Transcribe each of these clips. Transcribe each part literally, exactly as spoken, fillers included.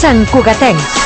Sant Cugatencs.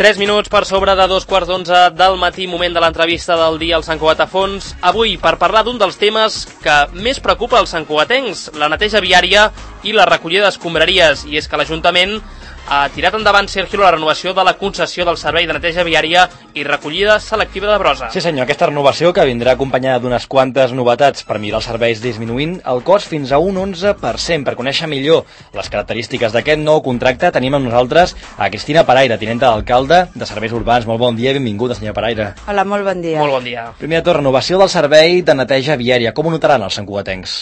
Tres minuts per sobre de dos quarts d'onze del matí, moment de l'entrevista del dia al Sant Cugat a Fons. Avui, per parlar d'un dels temes que més preocupa els santcugatencs, la neteja viària i la recollida d'escombraries. I és que l'Ajuntament ha tirat endavant, Sergio, la renovació de la concessió del servei de neteja viària i recollida selectiva de brossa. Sí senyor, aquesta renovació que vindrà acompanyada d'unes quantes novetats per millorar els serveis, disminuint el cost fins a un onze per cent. Per conèixer millor les característiques d'aquest nou contracte tenim amb nosaltres a Cristina Paraire, tinenta d'alcalde de Serveis Urbans. Molt bon dia i benvinguda, senyora Paraire. Hola, molt bon dia. Molt bon dia. Primer de tot, renovació del servei de neteja viària. Com ho notaran els santcugatencs?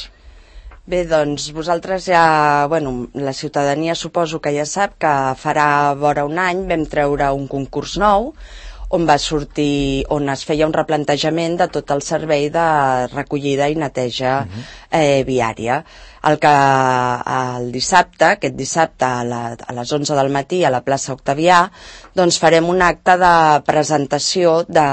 Bé, doncs vosaltres ja, bueno, la ciutadania suposo que ja sap que farà vora un any vam treure un concurs nou on va sortir, on es feia un replantejament de tot el servei de recollida i neteja uh-huh. eh, viària. El que el dissabte, aquest dissabte a, la, a les onze del matí a la plaça Octavià, doncs farem un acte de presentació de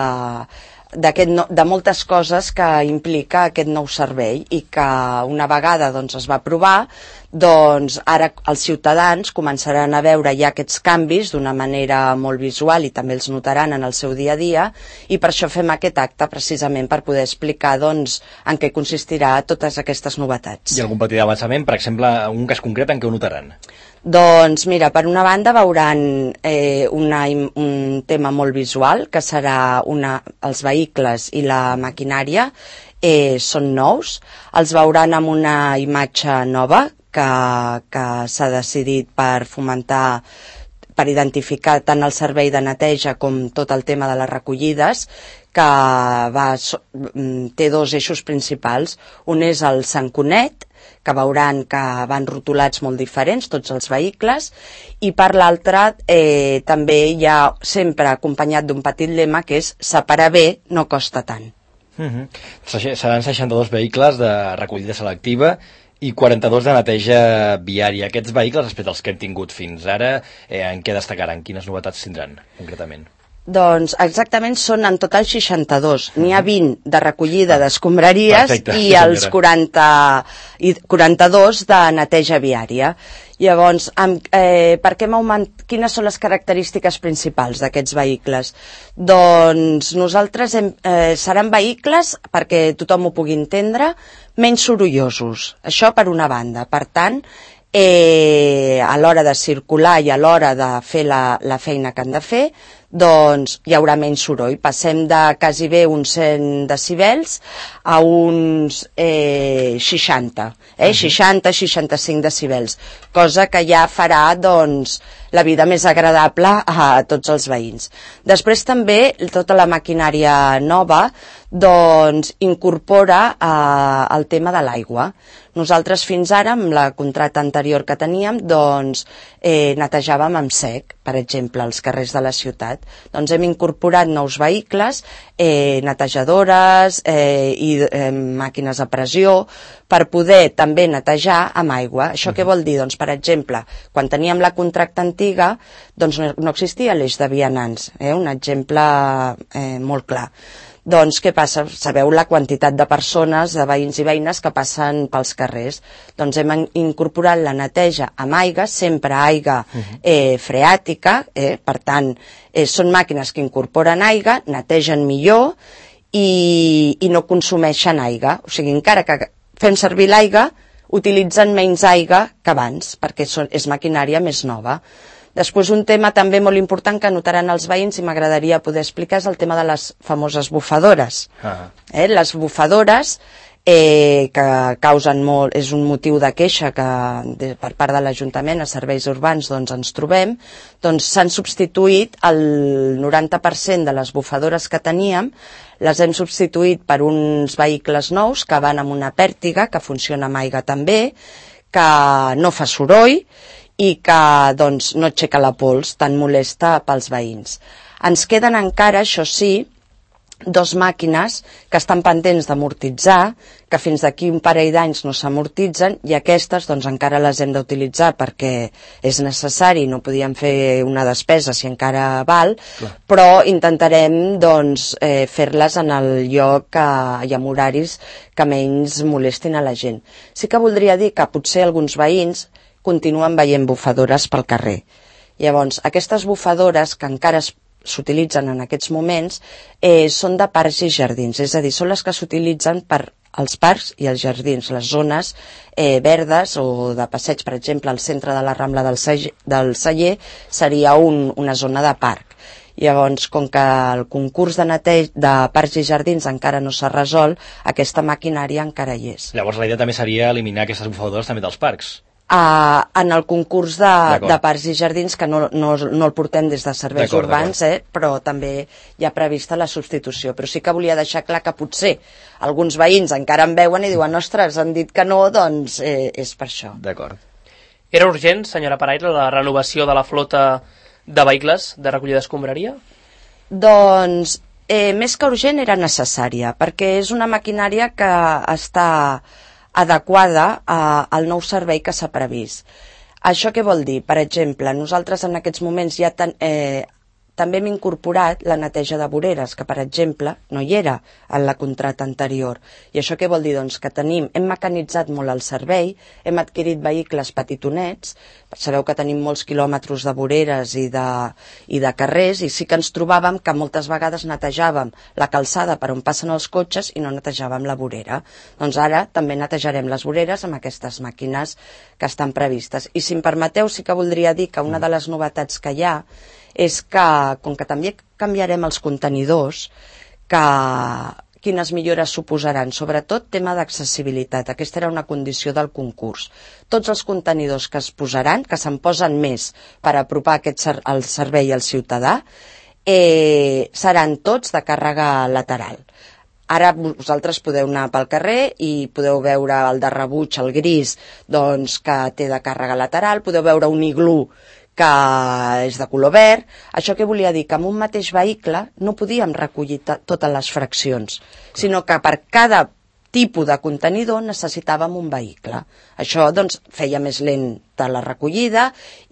No, de moltes coses que implica aquest nou servei i que una vegada doncs, es va aprovar, doncs ara els ciutadans començaran a veure ja aquests canvis d'una manera molt visual i també els notaran en el seu dia a dia, i per això fem aquest acte precisament per poder explicar doncs, en què consistirà totes aquestes novetats. I algun petit avançament, per exemple, un cas concret en què ho notaran? Doncs mira, per una banda veuran eh, una, un tema molt visual, que serà una, els vehicles i la maquinària eh, són nous, els veuran amb una imatge nova que, que s'ha decidit per fomentar, per identificar tant el servei de neteja com tot el tema de les recollides, que va, té dos eixos principals. Un és el Sant Cunet, que veuran que van rotulats molt diferents, tots els vehicles, i per l'altre eh, també hi ha sempre acompanyat d'un petit lema que és separar bé no costa tant. Uh-huh. Seran seixanta-dos vehicles de recollida selectiva i quaranta-dos de neteja viària. Aquests vehicles, respecte als que hem tingut fins ara, eh, en què destacaran? Quines novetats tindran, concretament? Doncs exactament són en total seixanta-dos. N'hi ha vint de recollida d'escombraries Perfecte, i els quaranta, i quaranta-dos de neteja viària. Llavors, amb, eh, per què hem augmentat, quines són les característiques principals d'aquests vehicles? Doncs nosaltres hem, eh, seran vehicles, perquè tothom ho pugui entendre, menys sorollosos. Això per una banda. Per tant, eh, a l'hora de circular i a l'hora de fer la, la feina que han de fer, doncs hi haurà menys soroll. Passem de quasi bé uns cent decibels a uns eh, seixanta, eh? seixanta a seixanta-cinc decibels, cosa que ja farà doncs, la vida més agradable a tots els veïns. Després també tota la maquinària nova doncs, incorpora eh, el tema de l'aigua. Nosaltres fins ara, amb la contracte anterior que teníem, doncs, eh, netejàvem amb sec, per exemple, els carrers de la ciutat. Doncs hem incorporat nous vehicles, eh, netejadores eh, i eh, màquines a pressió, per poder també netejar amb aigua. Això què vol dir? Doncs, per exemple, quan teníem la contracta antiga, doncs no, no existia l'eix de vianants, eh? Un exemple eh, molt clar. Doncs què passa? Sabeu la quantitat de persones, de veïns i veïnes que passen pels carrers. Doncs hem incorporat la neteja amb aigua, sempre aigua eh, freàtica, eh? Per tant, eh, són màquines que incorporen aigua, netegen millor i, i no consumeixen aigua. O sigui, encara que fem servir l'aigua, utilitzen menys aigua que abans, perquè són, és maquinària més nova. Després, un tema també molt important que notaran els veïns i m'agradaria poder explicar és el tema de les famoses bufadores. Ah. Eh, les bufadores eh, que causen molt, és un motiu de queixa que de, per part de l'Ajuntament a serveis urbans doncs, ens trobem, doncs s'han substituït el noranta per cent de les bufadores que teníem, les hem substituït per uns vehicles nous que van amb una pèrtiga, que funciona amb aigua també, que no fa soroll i que doncs, no aixeca la pols tan molesta pels veïns. Ens queden encara, això sí, dos màquines que estan pendents d'amortitzar, que fins d'aquí un parell d'anys no s'amortitzen, i aquestes doncs encara les hem d'utilitzar perquè és necessari, no podíem fer una despesa si encara val, clar. Però intentarem doncs eh, fer-les en el lloc que, i amb horaris que menys molestin a la gent. Sí que voldria dir que potser alguns veïns continuen veient bufadores pel carrer. Llavors, aquestes bufadores que encara es s'utilitzen en aquests moments eh, són de parcs i jardins, és a dir, són les que s'utilitzen per als parcs i els jardins, les zones eh, verdes o de passeig, per exemple, al centre de la Rambla del Celler, del Celler seria un, una zona de parc. Llavors, com que el concurs de neteja de parcs i jardins encara no s'ha resolt, aquesta maquinària encara hi és. Llavors la idea també seria eliminar aquestes bufadores també dels parcs. Uh, en el concurs de, de parcs i jardins, que no, no, no el portem des de serveis urbans, eh, però també hi ha prevista la substitució. Però sí que volia deixar clar que potser alguns veïns encara em veuen i diuen ostres, han dit que no, doncs eh, és per això. D'acord. Era urgent, senyora Paraire, la renovació de la flota de vehicles de recollida d'escombraria? Doncs eh, més que urgent era necessària, perquè és una maquinària que està adequada a, al nou servei que s'ha previst. Això què vol dir? Per exemple, nosaltres en aquests moments ja ten, eh, també hem incorporat la neteja de voreres, que per exemple no hi era en la contracta anterior. I això què vol dir? Doncs que tenim, hem mecanitzat molt el servei, hem adquirit vehicles petitonets, sabeu que tenim molts quilòmetres de voreres i de, i de carrers, i sí que ens trobàvem que moltes vegades netejàvem la calçada per on passen els cotxes i no netejàvem la vorera. Doncs ara també netejarem les voreres amb aquestes màquines que estan previstes. I si em permeteu, sí que voldria dir que una de les novetats que hi ha és que, com que també canviarem els contenidors, que quines millores suposaran, sobretot tema d'accessibilitat. Aquesta era una condició del concurs. Tots els contenidors que es posaran, que se'n posen més per apropar aquest ser, el servei al ciutadà, eh, seran tots de càrrega lateral. Ara vosaltres podeu anar pel carrer i podeu veure el de rebuig, el gris, doncs, que té de càrrega lateral, podeu veure un iglú que és de color verd. Això què volia dir? Que amb un mateix vehicle no podíem recollir totes les fraccions, sinó que per cada tipus de contenidor necessitàvem un vehicle. Això doncs feia més lenta la recollida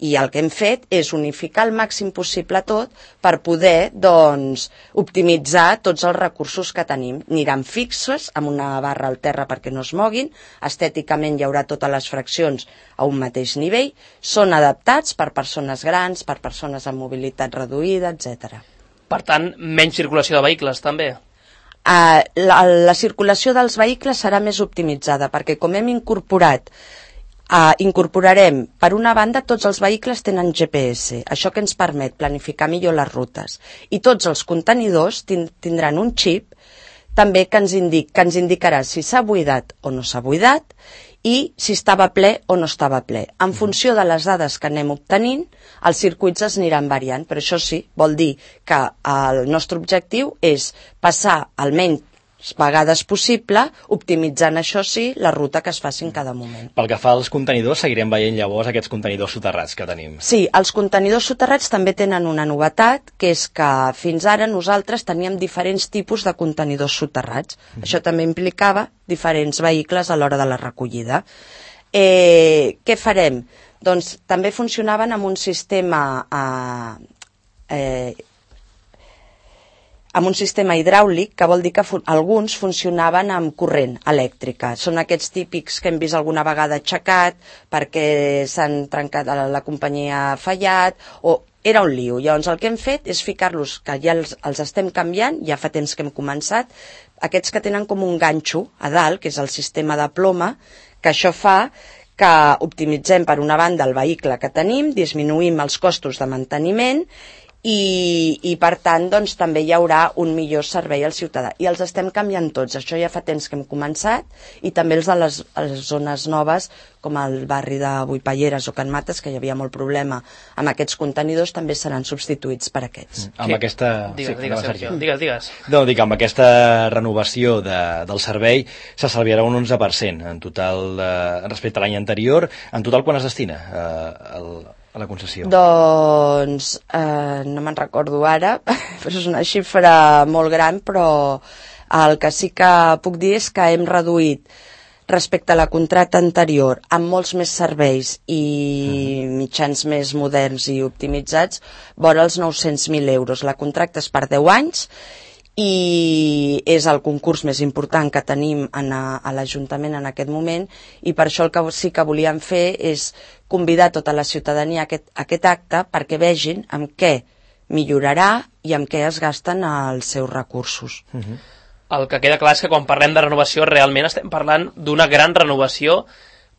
i el que hem fet és unificar al màxim possible tot per poder doncs optimitzar tots els recursos que tenim. Aniran fixes amb una barra al terra perquè no es moguin, estèticament hi haurà totes les fraccions a un mateix nivell, són adaptats per persones grans, per persones amb mobilitat reduïda, etcètera. Per tant, menys circulació de vehicles també? Uh, la, la circulació dels vehicles serà més optimitzada perquè com hem incorporat uh, incorporarem, per una banda tots els vehicles tenen G P S, això que ens permet planificar millor les rutes, i tots els contenidors tindran un xip també que ens, indic, que ens indicarà si s'ha buidat o no s'ha buidat i si estava ple o no estava ple. En funció de les dades que anem obtenint, els circuits es aniran variant, però això sí, vol dir que el nostre objectiu és passar almenys vegades possible, optimitzant, això sí, la ruta que es faci en cada moment. Pel que fa als contenidors, seguirem veient llavors aquests contenidors soterrats que tenim. Sí, els contenidors soterrats també tenen una novetat, que és que fins ara nosaltres teníem diferents tipus de contenidors soterrats. Mm. Això també implicava diferents vehicles a l'hora de la recollida. Eh, què farem? Doncs també funcionaven amb un sistema eh, eh, amb un sistema hidràulic, que vol dir que fu- alguns funcionaven amb corrent elèctrica. Són aquests típics que hem vist alguna vegada aixecat perquè s'han trencat, la, la companyia ha fallat, o era un lío. Llavors el que hem fet és ficar-los, que ja els, els estem canviant, ja fa temps que hem començat, aquests que tenen com un ganxo a dalt, que és el sistema de ploma, que això fa que optimitzem per una banda el vehicle que tenim, disminuïm els costos de manteniment i, i per tant doncs, també hi haurà un millor servei al ciutadà. I els estem canviant tots, això ja fa temps que hem començat, i també els de les, les zones noves, com el barri de Buipalleres o Can Mates, que hi havia molt problema amb aquests contenidors, també seran substituïts per aquests. Mm. Amb aquesta... Digues, sí, digues, Sergio. Digues, digues. No, dic, amb aquesta renovació de, del servei s'estalviarà un onze per cent en total eh, respecte a l'any anterior. En total, quan es destina eh, el, a la concessió? Doncs eh, no me'n recordo ara, però és una xifra molt gran, però el que sí que puc dir és que hem reduït respecte a la contracta anterior, amb molts més serveis i mitjans més moderns i optimitzats, vora els nou-cents mil euros. La contracta és per deu anys i és el concurs més important que tenim en a, a l'Ajuntament en aquest moment, i per això el que sí que volíem fer és convidar tota la ciutadania a aquest, a aquest acte perquè vegin amb què millorarà i amb què es gasten els seus recursos. Uh-huh. El que queda clar és que quan parlem de renovació realment estem parlant d'una gran renovació.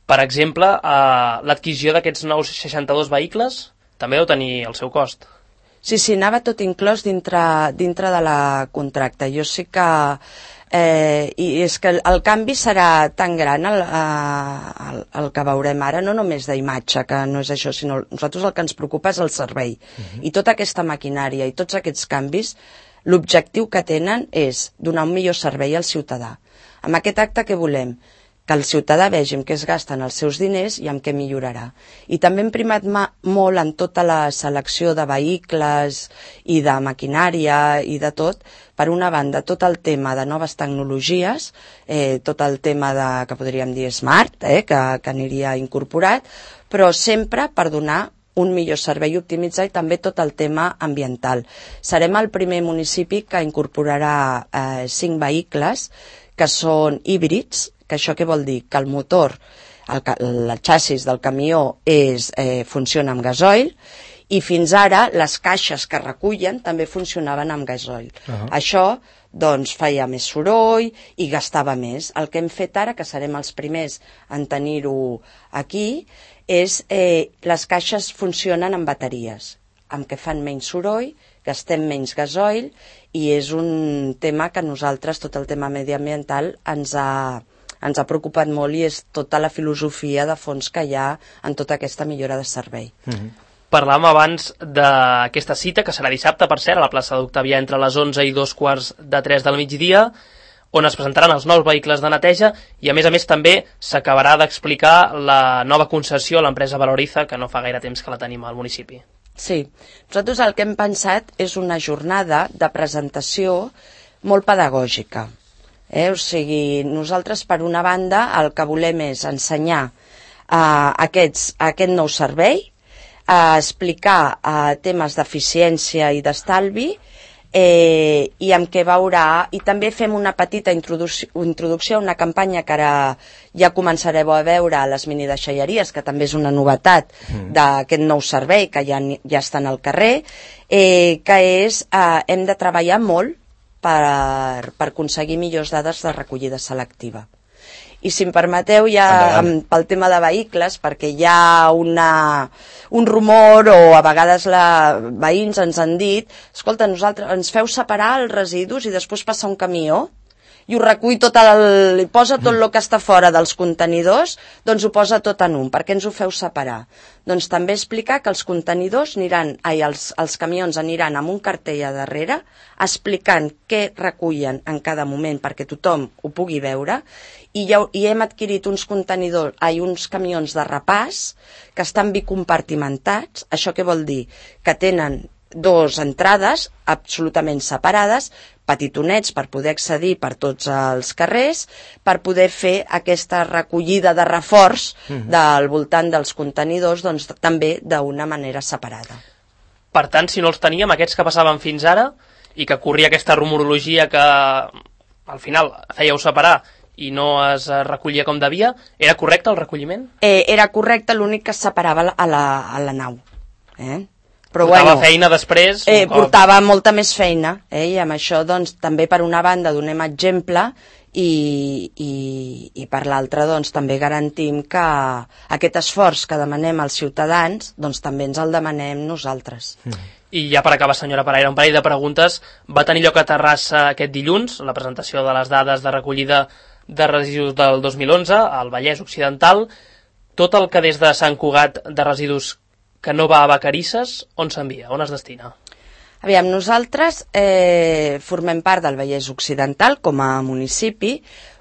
Per exemple, eh, l'adquisició d'aquests nous seixanta-dos vehicles també deu tenir el seu cost. Sí, sí, anava tot inclòs dintre, dintre de la contracta. Jo sí que... Eh, i és que el, el canvi serà tan gran el, el, el que veurem ara, no només d'imatge, que no és això, sinó nosaltres el que ens preocupa és el servei. Uh-huh. I tota aquesta maquinària i tots aquests canvis, l'objectiu que tenen és donar un millor servei al ciutadà. Amb aquest acte què volem? Que el ciutadà vegi en què es gasten els seus diners i en què millorarà. I també hem primat molt en tota la selecció de vehicles i de maquinària i de tot. Per una banda, tot el tema de noves tecnologies, eh, tot el tema de, que podríem dir smart, eh, que, que aniria incorporat, però sempre per donar un millor servei optimitzat i també tot el tema ambiental. Serem el primer municipi que incorporarà eh, cinc vehicles que són híbrids, que això què vol dir? Que el motor, el, el xassis del camió és, eh, funciona amb gasoil, i fins ara les caixes que recullen també funcionaven amb gasoil. Uh-huh. Això doncs feia més soroll i gastava més. El que hem fet ara, que serem els primers en tenir-ho aquí, és eh, les caixes funcionen amb bateries, amb què fan menys soroll, gastem menys gasoil, i és un tema que nosaltres, tot el tema mediambiental, ens ha, ens ha preocupat molt, i és tota la filosofia de fons que hi ha en tota aquesta millora de servei. Mm-hmm. Parlàvem abans d'aquesta cita, que serà dissabte, per cert, a la plaça d'Octavià entre les onze i dos quarts de tres del migdia, on es presentaran els nous vehicles de neteja, i a més a més també s'acabarà d'explicar la nova concessió a l'empresa Valoriza, que no fa gaire temps que la tenim al municipi. Sí, nosaltres el que hem pensat és una jornada de presentació molt pedagògica. Eh? O sigui, nosaltres per una banda el que volem és ensenyar uh, aquests, aquest nou servei, a explicar uh, temes d'eficiència i d'estalvi, eh, i amb què veurà, i també fem una petita introducció, introducció a una campanya que ara ja començareu a veure a les minideixalleries, que també és una novetat mm. d'aquest nou servei que ja, ja està al carrer, eh, que és, eh, hem de treballar molt per, per aconseguir millors dades de recollida selectiva. I si em permeteu ja amb, pel tema de vehicles, perquè hi ha una, un rumor, o a vegades la, veïns ens han dit, escolta, nosaltres ens feu separar els residus i després passa un camió i ho recull tot, el, posa tot el que està fora dels contenidors, doncs ho posa tot en un. Per què ens ho feu separar? Doncs també explicar que els contenidors aniran, ai, els, els camions aniran amb un cartell a darrere explicant què recullen en cada moment perquè tothom ho pugui veure, i, ja, i hem adquirit uns contenidors, ai, uns camions de repàs que estan bicompartimentats. Això què vol dir? Que tenen dues entrades absolutament separades, petitonets per poder accedir per tots els carrers, per poder fer aquesta recollida de reforç mm-hmm. del voltant dels contenidors, doncs també d'una manera separada. Per tant, si no els teníem, aquests que passaven fins ara, i que corria aquesta rumorologia que al final fèieu separar i no es recollia com devia, era correcte el recolliment? Eh, era correcte, l'únic que es separava a la, a la nau. Eh? Però portava bueno, feina després? Eh, portava molta més feina, eh? I amb això doncs, també per una banda donem exemple, i, i, i per l'altra doncs, també garantim que aquest esforç que demanem als ciutadans doncs, també ens el demanem nosaltres. Mm. I ja per acabar, senyora Paraire, un parell de preguntes. Va tenir lloc a Terrassa aquest dilluns la presentació de les dades de recollida de residus del dos mil onze al Vallès Occidental. Tot el que des de Sant Cugat de residus que no va a Vacarisses, on s'envia? On es destina? Aviam, nosaltres eh, formem part del Vallès Occidental com a municipi,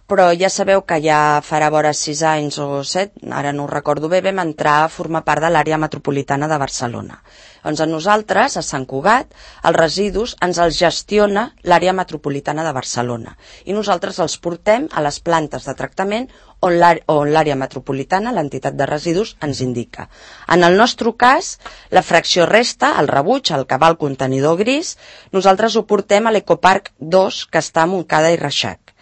però ja sabeu que ja farà vora sis anys o set, ara no ho recordo bé, vam entrar a formar part de l'àrea metropolitana de Barcelona. Doncs a nosaltres, a Sant Cugat, els residus ens els gestiona l'àrea metropolitana de Barcelona i nosaltres els portem a les plantes de tractament on l'àrea metropolitana, l'entitat de residus, ens indica. En el nostre cas, la fracció resta, el rebuig, el que va al contenidor gris, nosaltres ho portem a l'Ecoparc dos, que està a Montcada i Reixac.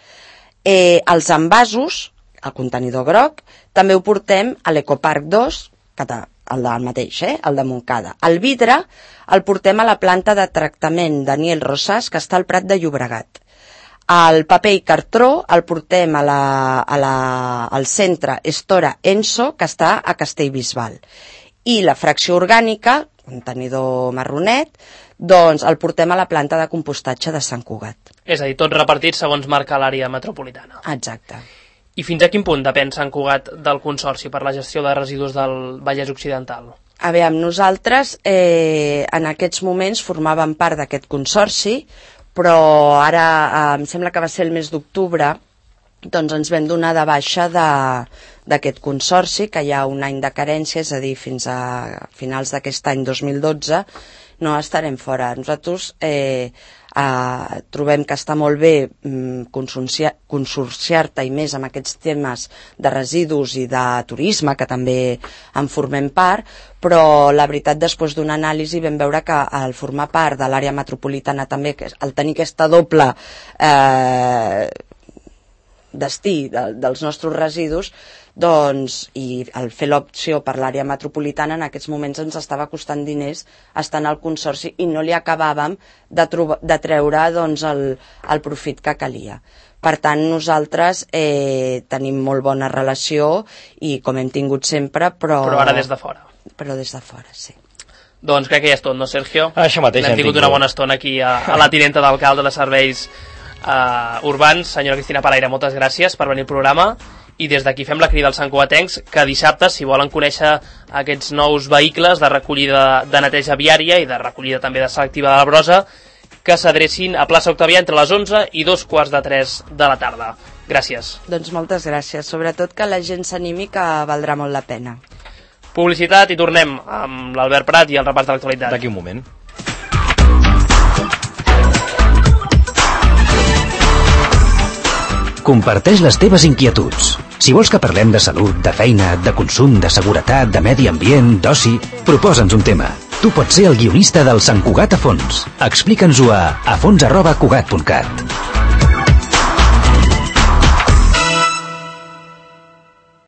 Eh, els envasos, el contenidor groc, també ho portem a l'Ecoparc dos, que el del mateix, eh? El de Montcada. El vidre el portem a la planta de tractament Daniel Rosas, que està al Prat de Llobregat. El paper i cartró el portem a la, a la, al centre Estora Enso, que està a Castellbisbal. I la fracció orgànica, contenidor marronet, doncs el portem a la planta de compostatge de Sant Cugat. És a dir, tot repartit segons marca l'àrea metropolitana. Exacte. I fins a quin punt depèn Sant Cugat del Consorci per la gestió de residus del Vallès Occidental? A veure, nosaltres eh, en aquests moments formàvem part d'aquest consorci, però ara eh, em sembla que va ser el mes d'octubre, doncs ens vam donar de baixa d'aquest consorci, que hi ha un any de carència, és a dir, fins a finals d'aquest any dos mil dotze, no estarem fora. Nosaltres eh, eh, trobem que està molt bé mm, consorciar-te i més amb aquests temes de residus i de turisme, que també en formem part, però la veritat, després d'una anàlisi vam veure que al formar part de l'àrea metropolitana també, al tenir aquesta doble eh, destí de, dels nostres residus, doncs, i al fer l'opció per l'àrea metropolitana, en aquests moments ens estava costant diners estar en el consorci i no li acabàvem de, de treure doncs, el, el profit que calia. Per tant, nosaltres eh, tenim molt bona relació i com hem tingut sempre, però... Però ara des de fora. Però des de fora, sí. Doncs crec que ja és tot, no, Sergio? Això mateix. Hem tingut una bona estona aquí a, a la tinenta d'alcalde de serveis uh, urbans. Senyora Cristina Paraire, moltes gràcies per venir al programa. I des d'aquí fem la crida als santcugatencs que dissabte, si volen conèixer aquests nous vehicles de recollida de neteja viària i de recollida també de selectiva de la brossa, que s'adrecin a plaça Octavià entre les onze i dos quarts de tres de la tarda. Gràcies. Doncs moltes gràcies. Sobretot que la gent s'animi, que valdrà molt la pena. Publicitat i tornem amb l'Albert Prat i el repàs de l'actualitat. D'aquí un moment. Comparteix les teves inquietuds. Si vols que parlem de salut, de feina, de consum, de seguretat, de medi ambient, d'oci, proposa'ns un tema. Tu pots ser el guionista del Sant Cugat a fons. Explica'ns-ho a afons arroba cugat punt cat.